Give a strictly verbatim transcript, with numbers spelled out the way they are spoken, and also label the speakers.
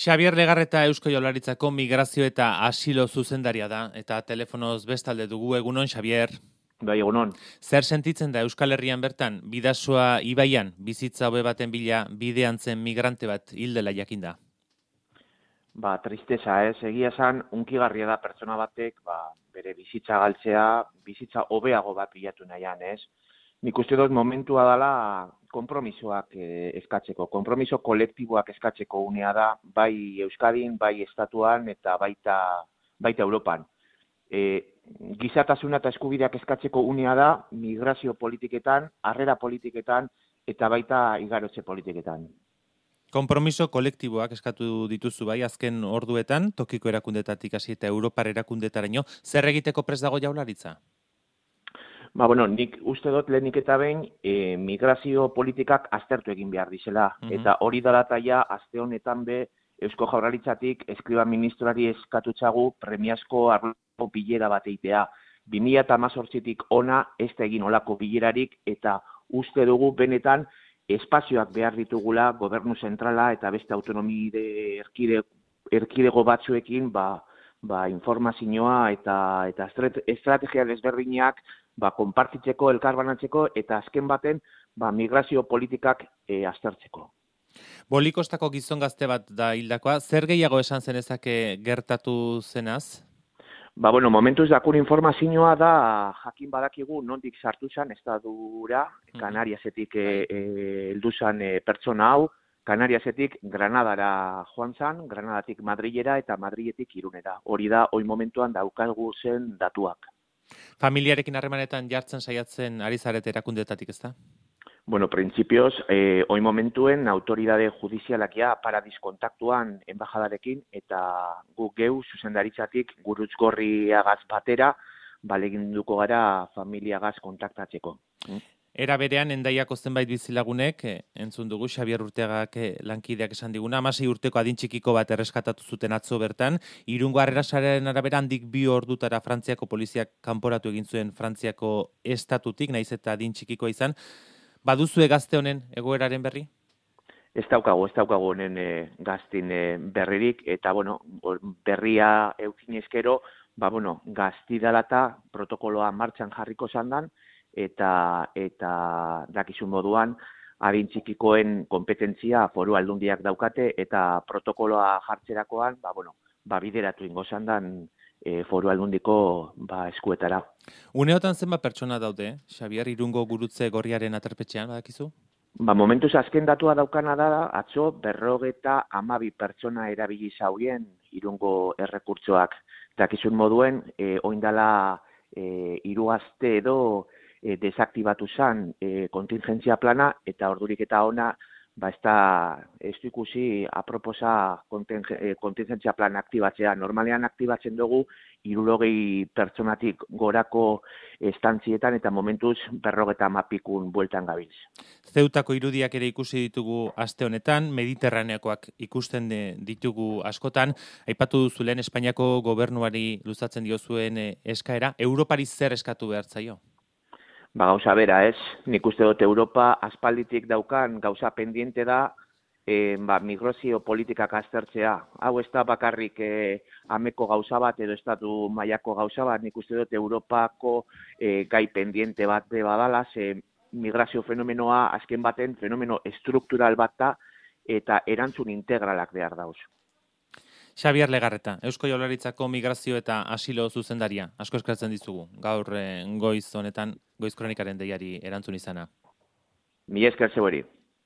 Speaker 1: Xabier Legarreta Eusko Jaurlaritzako migrazio eta asilo zuzendaria da, eta telefonoz bestalde dugu. Egunon, Xabier.
Speaker 2: Bai, egunon.
Speaker 1: Zer sentitzen da Euskal Herrian bertan, Bidasoa ibaian, bizitza hobe baten bila bidean zen migrante bat hildela jakinda?
Speaker 2: Ba, tristeza, ez, egia esan, unkigarria da pertsona batek, ba, bere bizitza galtzea, bizitza hobeago bat bilatu nahian, ez? Nik uste dut momentua dela konpromisoak eh, eskatzeko, konpromiso kolektiboak eskatzeko unea da, bai Euskadin, bai Estatuan eta baita, baita Europan. E, gizatasuna eta eskubideak eskatzeko unea da migrazio politiketan, harrera politiketan eta baita igarotze politiketan.
Speaker 1: Konpromiso kolektiboak eskatu dituzu bai, azken orduetan, tokiko erakundetatik hasi eta Europar erakundetaraino, zer egiteko prest dago Jaurlaritza?
Speaker 2: Ba, bueno, nik uste dut lehenik eta behin e, migrazio politikak aztertu egin behar dizela. Mm-hmm. Eta hori dalataia, aste honetan be, Eusko Jaurlaritzatik eskriba ministroari eskatutzagu premiazko arloko bilera bat eitea. bi mila hemezortzitik ona ez da egin olako bilerarik eta uste dugu benetan espazioak behar ditugula gobernu zentrala eta beste autonomi erkide, erkidego batzuekin ba, ba, informazioa eta, eta estrategia desberdinak ba, konpartitzeko, elkarbanatzeko eta azken baten ba, migrazio politikak e, aztertzeko.
Speaker 1: Bolikostako gizon gazte bat da hildakoa, zer gehiago esan zenezake gertatu zenaz?
Speaker 2: Ba, bueno, momentuz dakun informazioa da jakin badakigu nondik sartu zen estadura, Kanariasetik heldu zen e, pertsona hau, Kanariasetik Granadara joan zen, Granadatik Madrilera eta Madriletik Irunera. Hori da, hoi momentuan daukagu zen datuak.
Speaker 1: Familiarekin harremanetan jartzen saiatzen ari zarete erakundetatik, ezta?
Speaker 2: Bueno, printzipioz, eh, hoi momentuen autoridade judizialak ja paradis kontaktuan enbajadarekin eta guk geu zuzendaritzatik gurutzgorriagaz batera baleginduko gara familiagaz kontaktatzeko.
Speaker 1: Era berean, Hendaiako zenbait bizilagunek, entzun dugu, Xabier Urteagak lankideak esan diguna, hamasei urteko adin txikiko bat erreskatatu zuten atzo bertan, Irungo Harrerasaren arabera handik bi ordutara Frantziako poliziak kanporatu egin zuen Frantziako estatutik, naiz eta adin txikikoa izan. Baduzue gazte honen egoeraren berri?
Speaker 2: Ez daukagu, ez daukagu honen e, gaztin e, berririk, eta bueno, berria eukin eskero, ba bueno, gazti dalata protokoloa martxan jarriko zandan, eta eta dakizun moduan adin txikikoen kompetentzia foru aldundiak daukate eta protokoloa jartzerakoan ba bueno ba bideratu ingo zandan e, foru aldundiko ba eskuetara.
Speaker 1: Uneotan zenbat pertsona daude, Xabier, Irungo gurutze gorriaren aterpetxean, badakizu?
Speaker 2: Ba momentuz azken datua daukana da atzo berrogeta hamabi pertsona erabili zaurien Irungo errekurtsoak. Dakizun moduen e, oindala e, hiru aste edo E, desaktibatu zen e, kontingentzia plana eta ordurik eta ona ba ez da ez du ikusi aproposa kontingentzia plana aktibatzea. Normalean aktibatzen dugu hirurogei pertsonatik gorako estantzietan eta momentuz berrogeta hamapikun bueltan gabiltz.
Speaker 1: Zeutako irudiak ere ikusi ditugu aste honetan, Mediterraneakoak ikusten ditugu askotan. Aipatu duzu lehen Espainiako gobernuari luzatzen diozuen eskaera, Europari zer eskatu behar zaio?
Speaker 2: Ba, gauza bera, ez? Nik uste dut Europa aspalditik daukan gauza pendiente da e, ba, migrazio politikak aztertzea. Hau ez da bakarrik e, ameko gauza bat edo estatu mailako gauza bat, nik uste dut Europako e, gai pendiente bat de badala, ze migrazio fenomenoa azken baten fenomeno estruktural bat da eta erantzun integralak behar dauz.
Speaker 1: Xabier Legarreta, Eusko Jaurlaritzako migrazio eta asilo zuzendaria. Asko eskertzen dizugu, gaur goiz honetan, goiz kronikaren deiari erantzun izana.
Speaker 2: Mi esker zeueri.